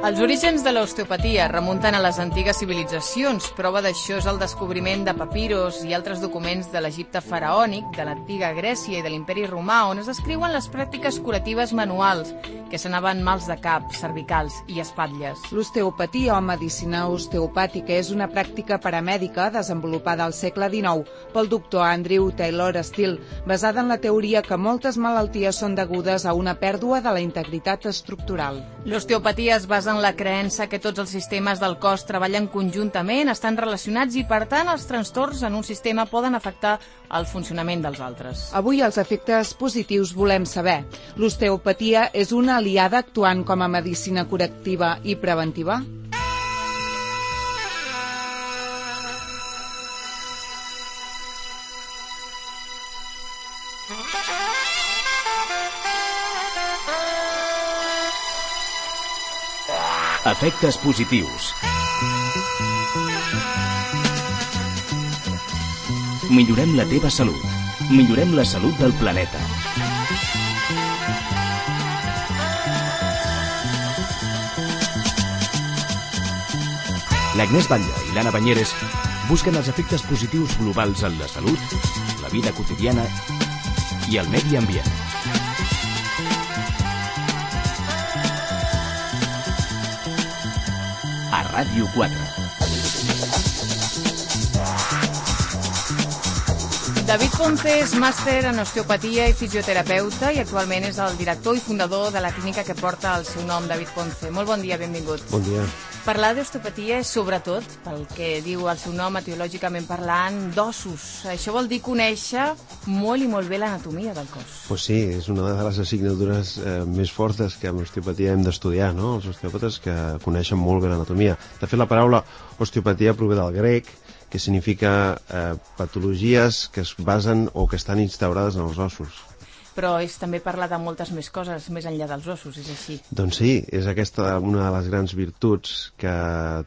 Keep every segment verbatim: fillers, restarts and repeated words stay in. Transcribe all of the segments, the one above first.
Els orígens de l'osteopatia remunten a les antigues civilitzacions. Prova d'això és el descobriment de papiros i altres documents de l'Egipte faraònic, de l'antiga Grècia i de l'Imperi Romà, on es descriuen les pràctiques curatives manuals, que s'anaven mals de cap, cervicals i espatlles. L'osteopatia o medicina osteopàtica és una pràctica paramèdica desenvolupada al segle dinou pel doctor Andrew Taylor Still, basada en la teoria que moltes malalties són degudes a una pèrdua de la integritat estructural. L'osteopatia es basa en la creença que tots els sistemes del cos treballen conjuntament, estan relacionats i, per tant, els trastorns en un sistema poden afectar el funcionament dels altres. Avui els efectes positius volem saber. L'osteopatia és una aliada actuant com a medicina curativa i preventiva? Efectes positius. Millorem la teva salut. Millorem la salut del planeta. L'Agnès Batlle i l'Anna Banyeres busquen els efectes positius globals en la salut, la vida quotidiana i el medi ambient. A Ràdio quatre. David Ponce és màster en osteopatia i fisioterapeuta i actualment és el director i fundador de la clínica que porta el seu nom, David Ponce. Molt bon dia, benvingut. Bon dia. Parlar d'osteopatia és, sobretot, pel que diu el seu nom, etiològicament parlant, d'ossos. Això vol dir conèixer molt i molt bé l'anatomia del cos. Pues sí, és una de les assignatures eh, més fortes que amb osteopatia hem d'estudiar, no? Els osteòpates que coneixen molt bé l'anatomia. De fet, la paraula osteopatia prové del grec, que significa eh, patologies que es basen o que estan instaurades en els ossos. Però és també parlar de moltes més coses més enllà dels ossos, és així? Doncs sí, és aquesta una de les grans virtuts que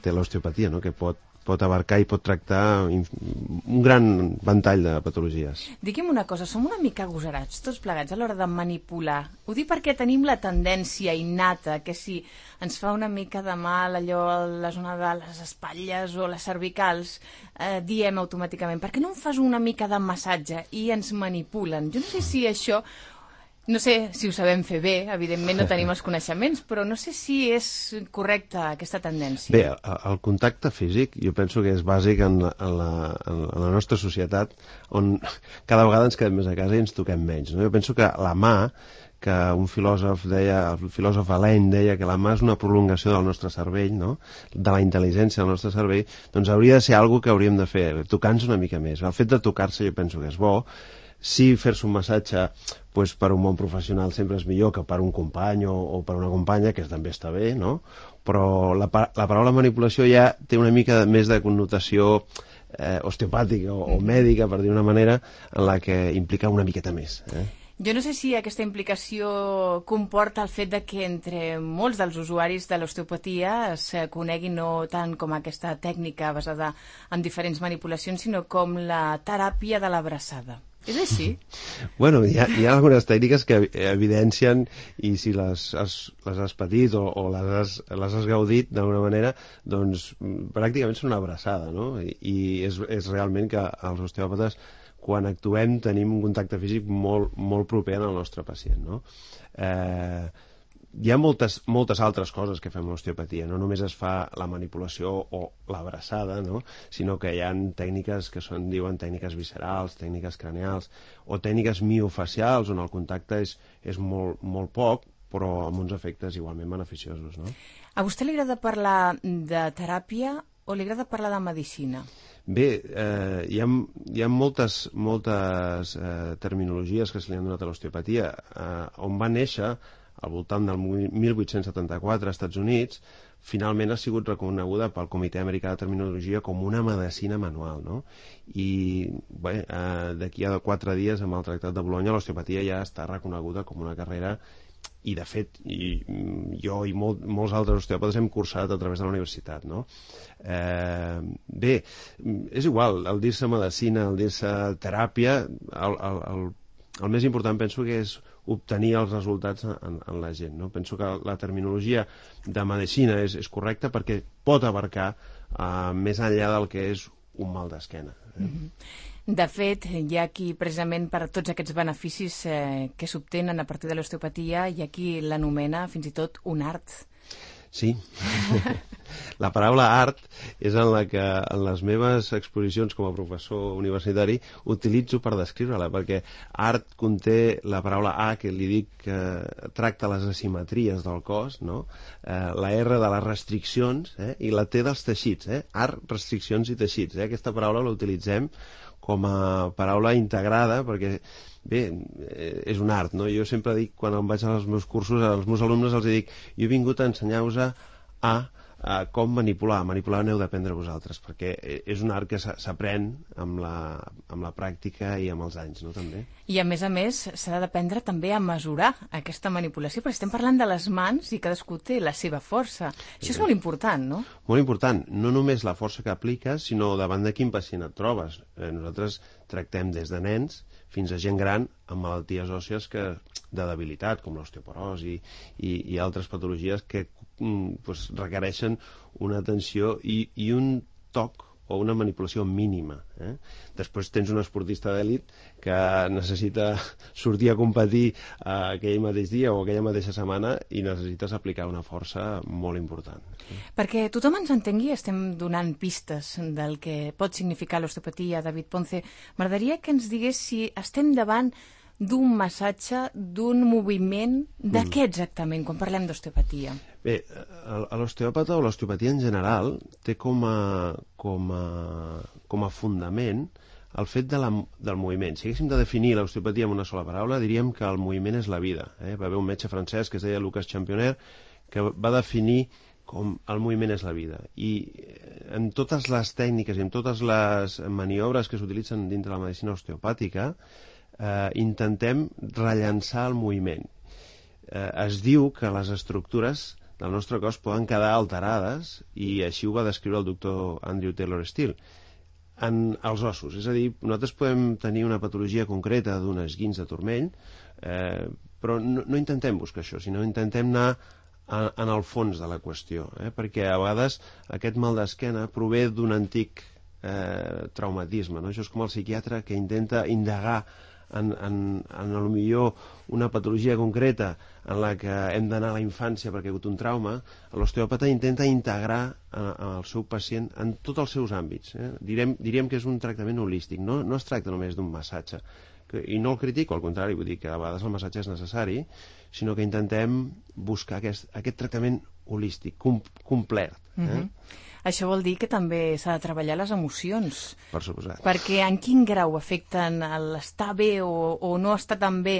té l'osteopatia, no? Que pot, pot abarcar i pot tractar un gran ventall de patologies. Digui'm una cosa, som una mica agosarats tots plegats a l'hora de manipular. Ho dic perquè tenim la tendència innata que si ens fa una mica de mal allò a la zona de les espatlles o les cervicals, eh, diem automàticament, per què no em fas una mica de massatge? I ens manipulen. Jo no sé si això... No sé si ho sabem fer bé, evidentment no tenim els coneixements, però no sé si és correcta aquesta tendència. Bé, el contacte físic jo penso que és bàsic en la, en la, en la nostra societat, on cada vegada ens quedem més a casa i ens toquem menys, no? Jo penso que la mà, que un filòsof deia, el filòsof Alain deia que la mà és una prolongació del nostre cervell, no? De la intel·ligència del nostre cervell, doncs hauria de ser alguna que hauríem de fer, tocar-nos una mica més. El fet de tocar-se jo penso que és bo. Si fer-se un massatge pues, per un bon professional sempre és millor que per un company o, o per una companya, que també està bé, no? Però la, la paraula manipulació ja té una mica més de connotació eh, osteopàtica o, o mèdica, per dir una manera, en la que implica una miqueta més. Eh? Jo no sé si aquesta implicació comporta el fet de que entre molts dels usuaris de l'osteopatia es coneguin no tant com aquesta tècnica basada en diferents manipulacions, sinó com la teràpia de l'abraçada. És així? Bueno, hi ha, hi ha algunes tècniques que evidencien, i si les has, les has patit o, o les, has, les has gaudit d'alguna manera, doncs pràcticament són una abraçada, no? I, i és, és realment que els osteòpates, quan actuem, tenim un contacte físic molt, molt proper al nostre pacient, no? Eh... Hi ha moltes, moltes altres coses que fem a l'osteopatia, no només es fa la manipulació o l'abraçada, no? Sinó que hi ha tècniques que són, diuen tècniques viscerals, tècniques craneals o tècniques miofacials on el contacte és, és molt, molt poc però amb uns efectes igualment beneficiosos, no? A vostè li agrada parlar de teràpia o li agrada parlar de medicina? Bé, eh, hi ha, hi ha moltes, moltes eh, terminologies que se li han donat a l'osteopatia, eh, on va néixer al voltant del mil vuit-cents setanta-quatre als Estats Units, finalment ha sigut reconeguda pel Comitè Americà de Terminologia com una medicina manual, no? I bé, eh, d'aquí a quatre dies, amb el Tractat de Bolonya, l'osteopatia ja està reconeguda com una carrera i de fet i, jo i molt, molts altres osteòpates hem cursat a través de la universitat, no? Eh, bé, és igual, el dir-se medicina, el dir-se teràpia, el, el, el, el més important penso que és obtenir els resultats en, en la gent, no? Penso que la terminologia de medicina és, és correcta perquè pot abarcar eh, més enllà del que és un mal d'esquena. Eh? Mm-hmm. De fet, hi ha qui, precisament per tots aquests beneficis eh, que s'obtenen a partir de l'osteopatia, hi ha qui l'anomena fins i tot un art. Sí. La paraula art és en la que en les meves exposicions com a professor universitari utilitzo per descriure-la, perquè art conté la paraula A, que li dic que tracta les asimetries del cos, no? Eh, la R de les restriccions, eh? I la T dels teixits, eh? Art, restriccions i teixits. Eh? Aquesta paraula la utilitzem com a paraula integrada, perquè, bé, és un art, no? Jo sempre dic, quan em vaig als meus cursos, als meus alumnes els dic, jo he vingut a ensenyar-vos a, a, a com manipular. Manipular n'heu d'aprendre vosaltres, perquè és un art que s'aprèn amb la, amb la pràctica i amb els anys, no?, també. I, a més a més, s'ha d'aprendre també a mesurar aquesta manipulació, perquè estem parlant de les mans i cadascú té la seva força. Això és molt important, no? Molt important. No només la força que apliques, sinó davant de quin pacient et trobes. Eh, nosaltres tractem des de nens fins a gent gran amb malalties òssies que, de debilitat, com l'osteoporosi i, i altres patologies que mm, pues, requereixen una atenció i, i un toc o una manipulació mínima. Eh? Després tens un esportista d'èlit que necessita sortir a competir eh, aquell mateix dia o aquella mateixa setmana i necessites aplicar una força molt important. Eh? Perquè tothom ens entengui, estem donant pistes del que pot significar l'osteopatia. David Ponce, m'agradaria que ens digués si estem davant d'un massatge, d'un moviment, de mm. què exactament, quan parlem d'osteopatia? Bé, l'osteòpata o l'osteopatia en general té com a, com a, com a fundament el fet de la, del moviment. Si haguéssim de definir l'osteopatia amb una sola paraula, diríem que el moviment és la vida. Eh? Va haver un metge francès que es deia Lucas Championnet que va definir com el moviment és la vida. I en totes les tècniques i en totes les maniobres que s'utilitzen dintre de la medicina osteopàtica, Eh, intentem rellançar el moviment. Eh, es diu que les estructures del nostre cos poden quedar alterades i així ho va descriure el doctor Andrew Taylor Still en els ossos. És a dir, nosaltres podem tenir una patologia concreta d'un esguins de turmell, eh, però no, no intentem buscar això, sinó intentem anar a, en el fons de la qüestió, eh, perquè a vegades aquest mal d'esquena prové d'un antic eh, traumatisme, no? Això és com el psiquiatre que intenta indagar en, en, en el millor una patologia concreta en la que hem d'anar a la infància perquè ha hagut un trauma. L'osteòpata intenta integrar en, en el seu pacient en tots els seus àmbits. Eh? Direm, diríem que és un tractament holístic, no, no es tracta només d'un massatge. Que, i no el critico, al contrari, vull dir que a vegades el massatge és necessari, sinó que intentem buscar aquest, aquest tractament holístic, com, complet. Eh? Mm-hmm. Això vol dir que també s'ha de treballar les emocions. Per suposat. Perquè en quin grau afecten l'estar bé o, o no estar tan bé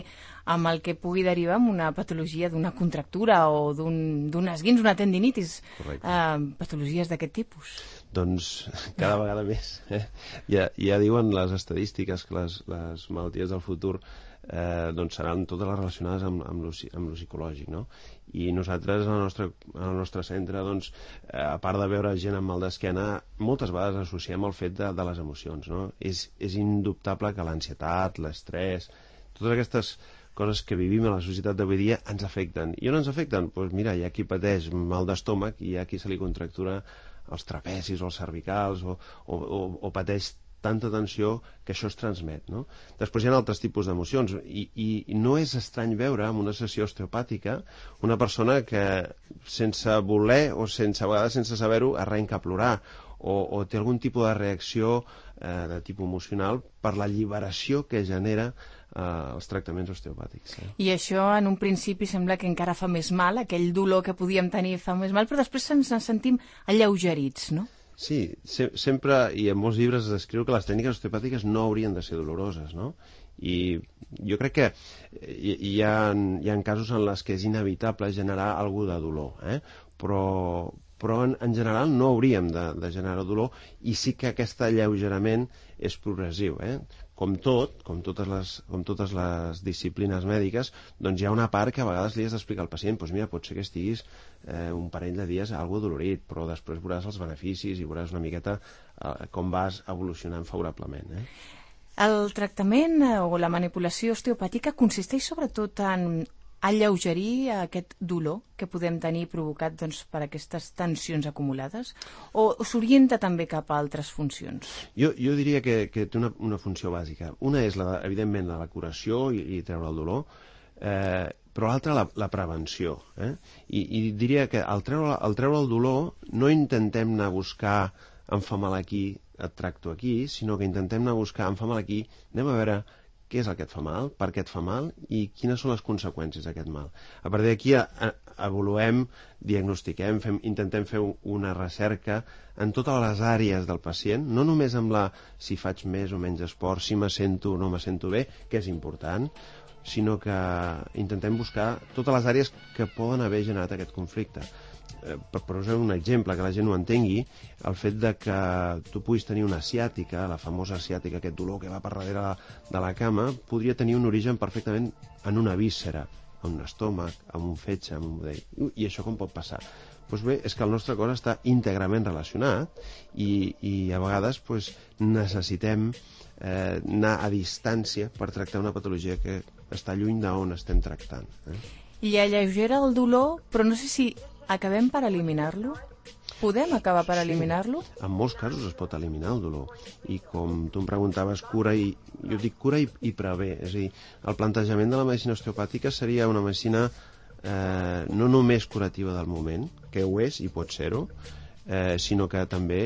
amb el que pugui derivar en una patologia d'una contractura o d'un esguins, una tendinitis, eh, patologies d'aquest tipus? Doncs cada vegada més. Eh? Ja, ja diuen les estadístiques que les, les malalties del futur eh, doncs seran totes les relacionades amb, amb, lo, amb lo psicològic, no? I nosaltres al nostre, al nostre centre, doncs, eh, a part de veure gent amb mal d'esquena, moltes vegades associem el fet de, de les emocions, no? És, és indubtable que l'ansietat, l'estrès, totes aquestes coses que vivim a la societat d'avui dia ens afecten. I on ens afecten? Doncs pues mira, hi ha qui pateix mal d'estómac i hi ha qui se li contractura els trapecis o els cervicals o, o, o, o pateix tanta tensió que això es transmet, no? Després hi ha altres tipus d'emocions i, i, i no és estrany veure en una sessió osteopàtica una persona que sense voler o sense, a vegades sense saber-ho arrenca a plorar o, o té algun tipus de reacció eh, de tipus emocional per la alliberació que genera eh, els tractaments osteopàtics. Eh? I això en un principi sembla que encara fa més mal, aquell dolor que podíem tenir fa més mal, però després ens en sentim alleugerits, no? Sí, se sempre, i en molts llibres es descriu que les tècniques osteopàtiques no haurien de ser doloroses, no? I jo crec que hi, hi, ha, hi ha casos en les que és inevitable generar alguna de dolor, eh? però, però en, en general no hauríem de, de generar dolor i sí que aquest alleugerament és progressiu, eh? com tot, com totes les, com totes les disciplines mèdiques, doncs hi ha una part que a vegades li has d'explicar al pacient, doncs mira, pot ser que estiguis eh, un parell de dies algo dolorit, però després veuràs els beneficis i veuràs una miqueta eh, com vas evolucionant favorablement. Eh? El tractament eh, o la manipulació osteopàtica consisteix sobretot en alleugerir aquest dolor que podem tenir provocat doncs, per aquestes tensions acumulades, o s'orienta també cap a altres funcions? Jo, jo diria que, que té una, una funció bàsica. Una és, la, evidentment, la curació i, i treure el dolor, eh, però l'altra la, la prevenció. Eh? I, I diria que al treure, al treure el dolor no intentem anar a buscar em fa mal aquí, et tracto aquí, sinó que intentem anar a buscar em fa mal aquí, anem a veure què és el que et fa mal, per què et fa mal i quines són les conseqüències d'aquest mal. A partir d'aquí avaluem, diagnostiquem, fem, intentem fer una recerca en totes les àrees del pacient, no només amb la si faig més o menys esport, si me sento o no me sento bé, que és important, sinó que intentem buscar totes les àrees que poden haver generat aquest conflicte. Per posar un exemple, que la gent ho entengui, el fet de que tu puguis tenir una ciàtica, la famosa ciàtica, aquest dolor que va per darrere de la cama, podria tenir un origen perfectament en una víscera, en un estómac, en un fetge, en un budell. I això com pot passar? Doncs bé, és que el nostre cos està íntegrament relacionat i, i a vegades doncs, necessitem eh, anar a distància per tractar una patologia que està lluny d'on estem tractant. Eh? I alleugera el dolor, però no sé si acabem per eliminar-lo? Podem acabar per eliminar-lo? Sí, en molts casos es pot eliminar el dolor. I com tu em preguntaves, cura i... Jo dic cura i, i prevé. És a dir, el plantejament de la medicina osteopàtica seria una medicina eh, no només curativa del moment, que ho és i pot ser-ho, eh, sinó que també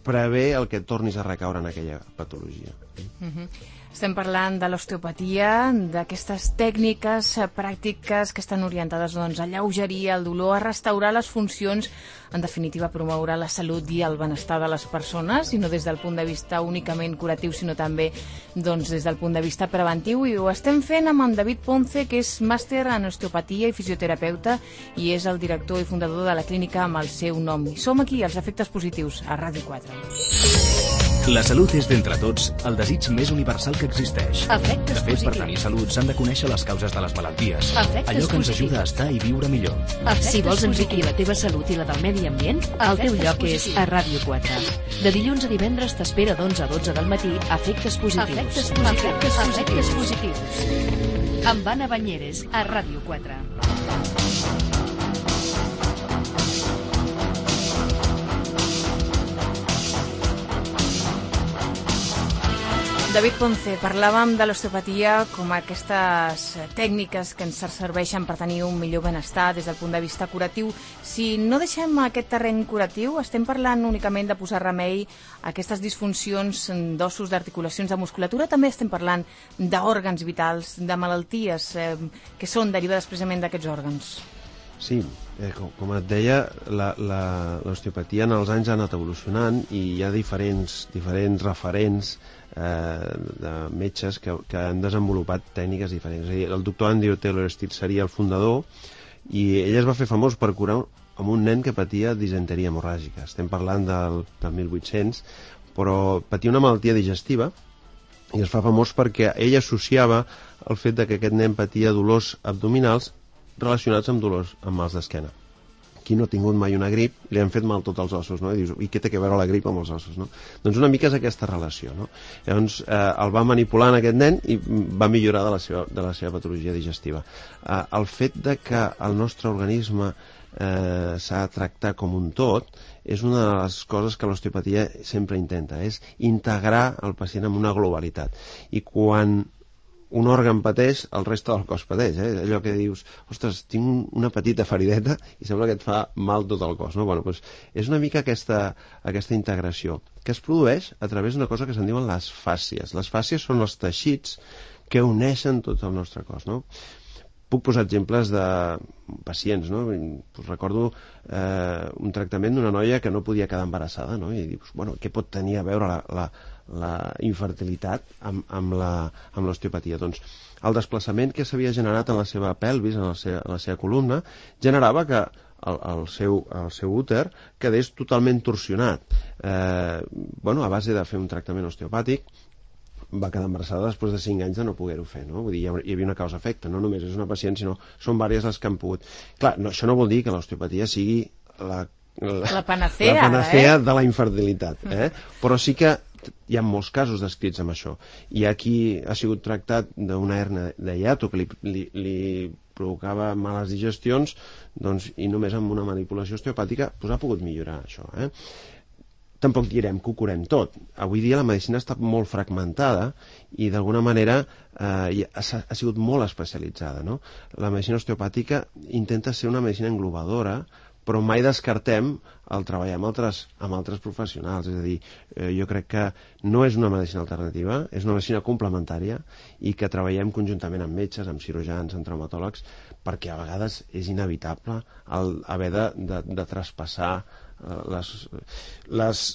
prevé el que et tornis a recaure en aquella patologia. Uh-huh. Estem parlant de l'osteopatia, d'aquestes tècniques pràctiques que estan orientades doncs, a alleugerir el dolor, a restaurar les funcions, en definitiva a promoure la salut i el benestar de les persones, i no des del punt de vista únicament curatiu, sinó també doncs, des del punt de vista preventiu. I ho estem fent amb en David Ponce, que és màster en osteopatia i fisioterapeuta i és el director i fundador de la clínica amb el seu nom. I som aquí, als Efectes Positius, a Ràdio quatre. La salut és d'entre tots el desig més universal que existeix. Efectes de fet, positius. per tenir salut s'han de conèixer les causes de les malalties. Efectes allò que ens positius. ajuda a estar i viure millor. Efectes si vols enriquir la teva salut i la del medi ambient, el teu Efectes lloc positius. és a Ràdio quatre. De dilluns a divendres t'espera d'onze a dotze del matí Efectes Positius. Efectes positius. Efectes positius. positius. Amb Anna Banyeres, a Ràdio quatre. David Ponce, parlàvem de l'osteopatia com aquestes tècniques que ens serveixen per tenir un millor benestar des del punt de vista curatiu. Si no deixem aquest terreny curatiu, estem parlant únicament de posar remei a aquestes disfuncions d'ossos, d'articulacions, de musculatura, també estem parlant d'òrgans vitals, de malalties eh, que són derivades precisament d'aquests òrgans. Sí, eh, com, com et deia, l'osteopatia en els anys ha anat evolucionant i hi ha diferents, diferents referents eh, de metges que, que han desenvolupat tècniques diferents. És a dir, el doctor Andrew Taylor Still seria el fundador i ell es va fer famós per curar amb un nen que patia disenteria hemorràgica. Estem parlant del, del mil vuit-cents, però patia una malaltia digestiva i es fa famós perquè ell associava el fet de que aquest nen patia dolors abdominals relacionats amb dolors, amb mals d'esquena. Qui no ha tingut mai una grip, li han fet mal tots els ossos, no? I dius, i què té a veure la grip amb els ossos, no? Doncs una mica és aquesta relació, no? Llavors, eh, el va manipular en aquest nen i va millorar de la seva, de la seva patologia digestiva. Eh, el fet de que el nostre organisme eh, s'ha de tractar com un tot és una de les coses que l'osteopatia sempre intenta, és integrar el pacient en una globalitat. I quan un òrgan pateix, el reste del cos pateix, eh? Allò que dius, ostres, tinc una petita ferideta i sembla que et fa mal tot el cos, no? Bueno, doncs és una mica aquesta, aquesta integració que es produeix a través d'una cosa que se'n diuen les fàscies. Les fàscies són els teixits que uneixen tot el nostre cos, no? Puc posar exemples de pacients, no? Pues recordo eh, un tractament d'una noia que no podia quedar embarassada, no? I dius, bueno, què pot tenir a veure la, la, la infertilitat amb, amb l'osteopatia? Doncs el desplaçament que s'havia generat en la seva pelvis, en la seva, en la seva columna, generava que el, el, seu, el seu úter quedés totalment torsionat. Eh, bueno, a base de fer un tractament osteopàtic, va quedar embarassada després de cinc anys de no poder-ho fer, no? Vull dir, hi havia una causa-efecte, no només és una pacient, sinó són diverses les que han pogut. Clar, no, això no vol dir que l'osteopatia sigui la, la, la panacea, la panacea eh? de la infertilitat, eh? Però sí que hi ha molts casos descrits amb això. Hi ha qui ha sigut tractat d'una hernia de hiato que li, li, li provocava males digestions, doncs, i només amb una manipulació osteopàtica pues, ha pogut millorar això. Eh? Tampoc direm que ho curem tot. Avui dia la medicina està molt fragmentada i d'alguna manera eh, ha, ha sigut molt especialitzada. No? La medicina osteopàtica intenta ser una medicina englobadora, però mai descartem el treballar amb altres, amb altres professionals. És a dir, eh, jo crec que no és una medicina alternativa, és una medicina complementària i que treballem conjuntament amb metges, amb cirurgians, amb traumatòlegs, perquè a vegades és inevitable el haver de, de, de traspassar eh, les, les,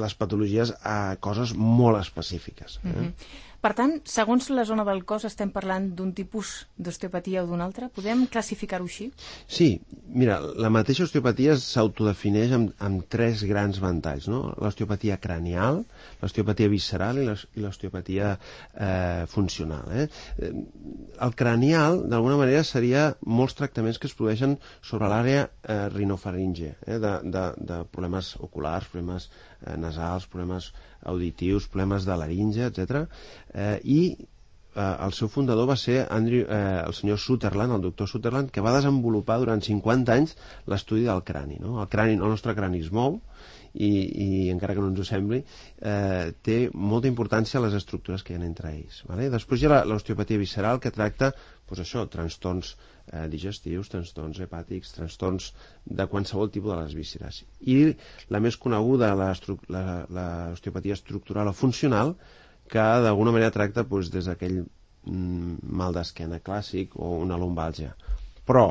les patologies a coses molt específiques. Eh? Mm-hmm. Per tant, segons la zona del cos estem parlant d'un tipus d'osteopatia o d'un altre? Podem classificar-ho així? Sí, mira, la mateixa osteopatia s'autodefineix amb, amb tres grans ventalls, no? L'osteopatia cranial, l'osteopatia visceral i l'osteopatia eh, funcional. Eh? El cranial, d'alguna manera, seria molts tractaments que es produeixen sobre l'àrea eh, rinofaringe, eh? de, de, de problemes oculars, problemes eh, nasals, problemes auditius, problemes de laringe, etcètera. Eh, I eh, el seu fundador va ser Andrew, eh, el senyor Sutherland, el doctor Sutherland, que va desenvolupar durant cinquanta anys l'estudi del crani. No? El crani, el nostre crani es mou i, i encara que no ens ho sembli, eh, té molta importància les estructures que hi ha entre ells. Vale? Després hi ha l'osteopatia visceral, que tracta pues això, trastorns eh, digestius, trastorns hepàtics, trastorns de qualsevol tipus de les vísceres. I la més coneguda, l'osteopatia estructural o funcional, que d'alguna manera tracta doncs, des d'aquell mm, mal d'esquena clàssic o una lumbàlgia. Però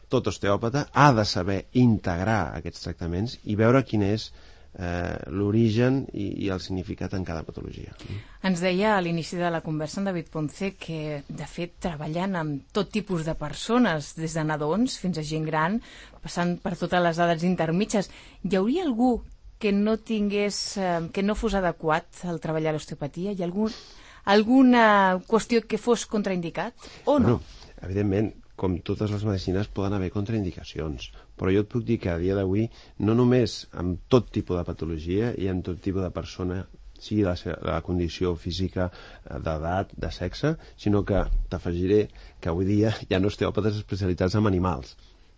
tot osteòpata ha de saber integrar aquests tractaments i veure quin és eh, l'origen i, i el significat en cada patologia. Ens deia a l'inici de la conversa en David Ponce que, de fet, treballant amb tot tipus de persones, des de nadons fins a gent gran, passant per totes les edats intermitges, hi hauria algú que no tingués, eh, que no fos adequat al treballar l'osteopatia? Hi ha algun, alguna qüestió que fos contraindicat o no? Bueno, evidentment, com totes les medicines poden haver contraindicacions, però jo et puc dir que a dia d'avui no només amb tot tipus de patologia i amb tot tipus de persona, sigui la, la condició física, d'edat, de sexe, sinó que t'afegiré que avui dia hi ha osteòpates especialitzats en animals.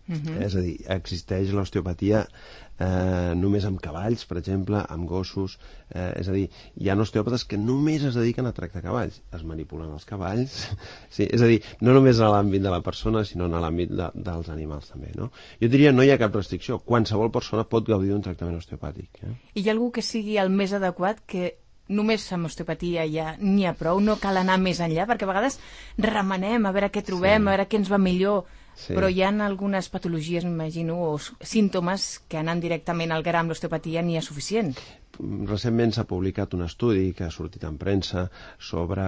Uh-huh. És a dir, existeix l'osteopatia eh, només amb cavalls, per exemple, amb gossos, eh, és a dir, hi ha osteòpates que només es dediquen a tractar cavalls, es manipulen els cavalls, sí, és a dir, no només a l'àmbit de la persona, sinó a l'àmbit de, dels animals també, no? Jo diria no hi ha cap restricció, qualsevol persona pot gaudir d'un tractament osteopàtic. Eh? I hi ha algú que sigui el més adequat, que només amb osteopatia ja n'hi ha prou, no cal anar més enllà, perquè a vegades remenem a veure què trobem, sí. a veure què ens va millor, sí. però hi ha algunes patologies, m'imagino, o símptomes que anant directament al gra amb l'osteopatia n'hi ha suficient. Recentment s'ha publicat un estudi que ha sortit en premsa sobre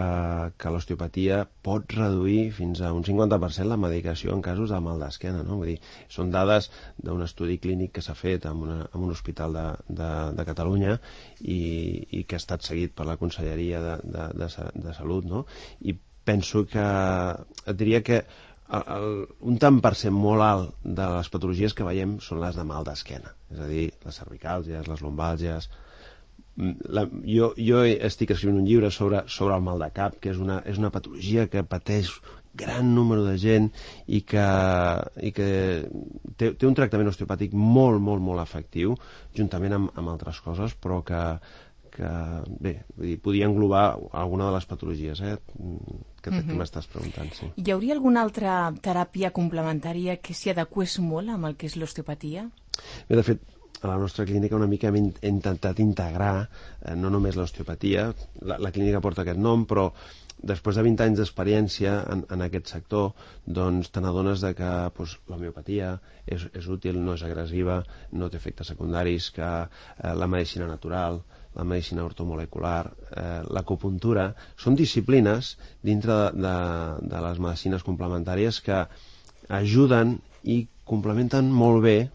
que l'osteopatia pot reduir fins a un cinquanta per cent la medicació en casos de mal d'esquena, no? Vull dir, són dades d'un estudi clínic que s'ha fet en, una, en un hospital de, de, de Catalunya i, i que ha estat seguit per la Conselleria de, de, de, de Salut, no? I penso que et diria que el, el, un tant per cent molt alt de les patologies que veiem són les de mal d'esquena, és a dir, les cervicàlgies, les lumbàlgies. La, jo, jo estic escrivint un llibre sobre, sobre el mal de cap, que és una, és una patologia que pateix gran número de gent i que, i que té, té un tractament osteopàtic molt, molt, molt efectiu, juntament amb, amb altres coses, però que, que bé, vull dir, podia englobar alguna de les patologies eh, que, mm-hmm. que m'estàs preguntant. Sí. Hi hauria alguna altra teràpia complementària que s'hi adequés molt amb el que és l'osteopatia? Bé, de fet, a la nostra clínica una mica hem intentat integrar eh, no només l'osteopatia, la, la clínica porta aquest nom, però després de vint anys d'experiència en, en aquest sector, doncs te n'adones de que pues, l'homeopatia és, és útil, no és agressiva, no té efectes secundaris, que eh, la medicina natural, la medicina ortomolecular, eh, l'acupuntura, són disciplines dintre de, de, de les medicines complementàries que ajuden i complementen molt bé,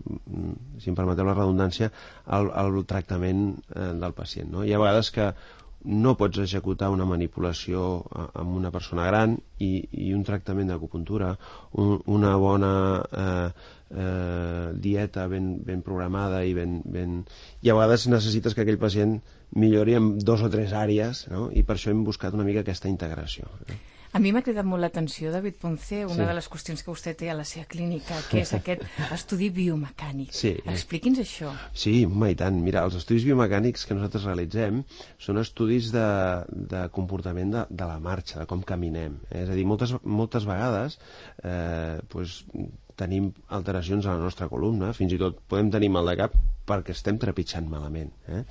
si em permeteu la redundància, el, el tractament eh, del pacient. No? Hi ha vegades que no pots executar una manipulació amb una persona gran i, i un tractament d'acupuntura, un, una bona eh, eh, dieta ben, ben programada i ben, ben... I a vegades necessites que aquell pacient millori en dos o tres àrees, no? I per això hem buscat una mica aquesta integració. Eh? A mi m'ha cridat molt l'atenció, David Ponce, una sí. de les qüestions que vostè té a la seva clínica, que és aquest estudi biomecànic. Sí. Expliqui'ns això. Sí, home, i tant. Mira, els estudis biomecànics que nosaltres realitzem són estudis de, de comportament de, de la marxa, de com caminem. Eh? És a dir, moltes, moltes vegades eh, pues, tenim alteracions a la nostra columna, fins i tot podem tenir mal de cap perquè estem trepitjant malament. Eh?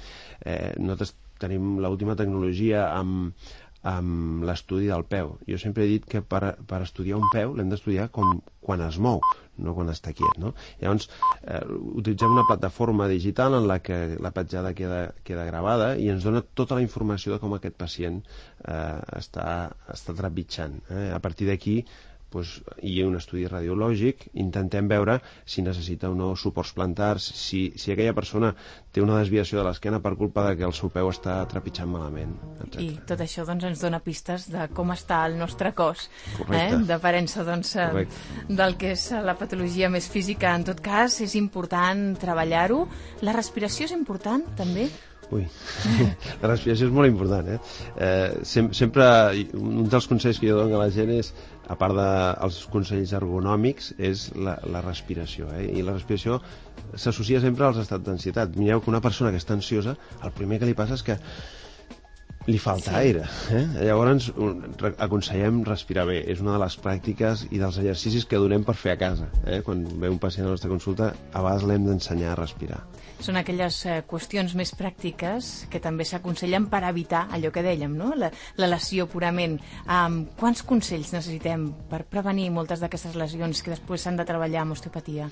Eh, nosaltres tenim l'última tecnologia amb amb l'estudi del peu. Jo sempre he dit que per, per estudiar un peu l'hem d'estudiar com quan es mou, no quan està quiet, no? Llavors, eh, utilitzem una plataforma digital en la que la petjada queda, queda gravada i ens dona tota la informació de com aquest pacient eh, està, està trepitjant. Eh? A partir d'aquí, pues, hi ha un estudi radiològic, intentem veure si necessita o no suports plantars, si, si aquella persona té una desviació de l'esquena per culpa de que el seu peu està trepitjant malament, etcètera. I tot això doncs, ens dona pistes de com està el nostre cos, eh? d'aparença doncs, del que és la patologia més física. En tot cas, és important treballar-ho. La respiració és important, també? Ui, la respiració és molt important, eh? eh sem sempre, un dels consells que jo dono a la gent és, a part dels consells ergonòmics, és la, la respiració, eh? I la respiració s'associa sempre als estats d'ansietat. Mireu que una persona que està ansiosa, el primer que li passa és que li falta sí. aire. Eh? Llavors aconsellem respirar bé. És una de les pràctiques i dels exercicis que donem per fer a casa. Eh? Quan ve un pacient a la nostra consulta, a vegades l'hem d'ensenyar a respirar. Són aquelles eh, qüestions més pràctiques que també s'aconsellen per evitar allò que dèiem, no? La, la lesió purament. Um, quants consells necessitem per prevenir moltes d'aquestes lesions que després s'han de treballar amb osteopatia?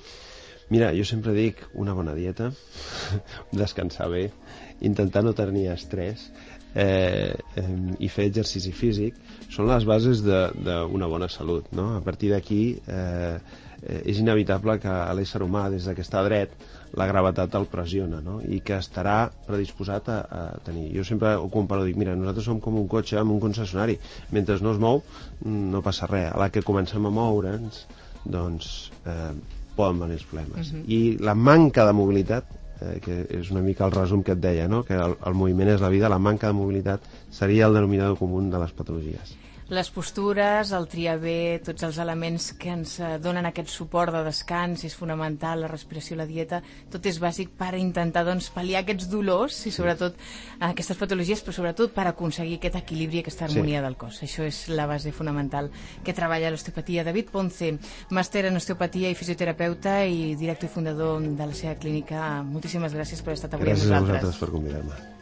Mira, jo sempre dic una bona dieta, descansar bé, intentar no tenir estrès, Eh, eh, i fer exercici físic són les bases d'una bona salut, no? A partir d'aquí eh, eh, és inevitable que a l'ésser humà, des que està dret, la gravetat el pressiona, no? I que estarà predisposat a, a tenir. Jo sempre ho comparo, dic, mira, nosaltres som com un cotxe amb un concessionari, mentre no es mou no passa res, a la que comencem a moure'ns doncs eh, poden venir els problemes. Uh-huh. I la manca de mobilitat, Eh, que és una mica el resum que et deia, no? Que el, el moviment és la vida, la manca de mobilitat seria el denominador comú de les patologies. Les postures, el triar bé, tots els elements que ens donen aquest suport de descans, és fonamental, la respiració, la dieta, tot és bàsic per intentar doncs, pal·liar aquests dolors i sobretot aquestes patologies, però sobretot per aconseguir aquest equilibri, aquesta harmonia sí. del cos. Això és la base fonamental que treballa l'osteopatia. David Ponce, màster en osteopatia i fisioterapeuta i director i fundador de la seva clínica. Moltíssimes gràcies per haver estat avui gràcies amb nosaltres. Gràcies a vosaltres per convidar-me.